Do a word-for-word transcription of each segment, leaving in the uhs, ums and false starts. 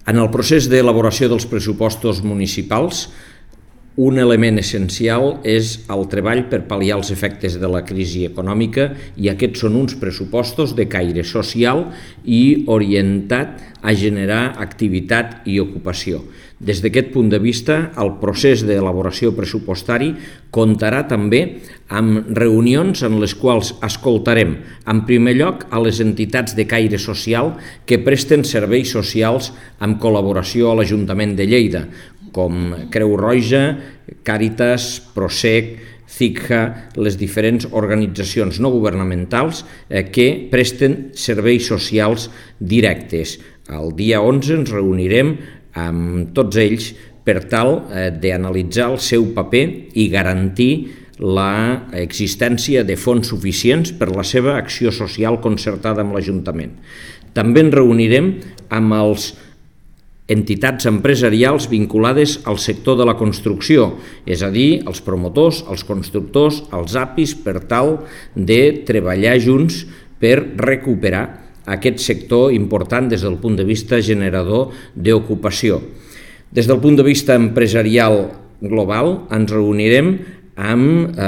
En el procés d'elaboració dels pressupostos municipals, un element essencial és el treball per pal·liar els efectes de la crisi econòmica, i aquests són uns pressupostos de caire social i orientat a generar activitat i ocupació. Des d'aquest punt de vista, el procés d'elaboració pressupostari comptarà també amb reunions en les quals escoltarem, en primer lloc, a les entitats de caire social que presten serveis socials amb col·laboració a l'Ajuntament de Lleida, com Creu Roja, Càritas, Prosec, C I C H A, les diferents organitzacions no governamentals que presten serveis socials directes. El dia onze ens reunirem amb tots ells per tal d'analitzar el seu paper i garantir l'existència de fons suficients per la seva acció social concertada amb l'Ajuntament. També ens reunirem amb els entitats empresarials vinculades al sector de la construcció, és a dir, els promotors, els constructors, els A P Is, per tal de treballar junts per recuperar aquest sector important des del punt de vista generador d'ocupació. Des del punt de vista empresarial global ens reunirem amb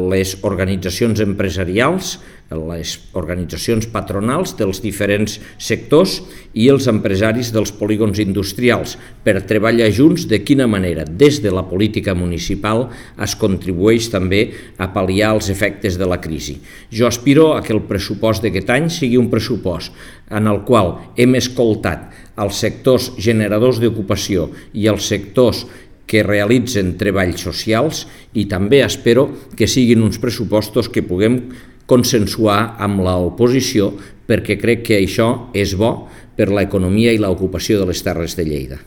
les organitzacions empresarials, les organitzacions patronals dels diferents sectors i els empresaris dels polígons industrials per treballar junts de quina manera des de la política municipal es contribueix també a pal·liar els efectes de la crisi. Jo aspiro a que el pressupost d'aquest any sigui un pressupost en el qual hem escoltat els sectors generadors d'ocupació i els sectors que realitzen treballs socials, i també espero que siguin uns pressupostos que puguem consensuar amb l'oposició, perquè crec que això és bo per l'economia i l'ocupació de les Terres de Lleida.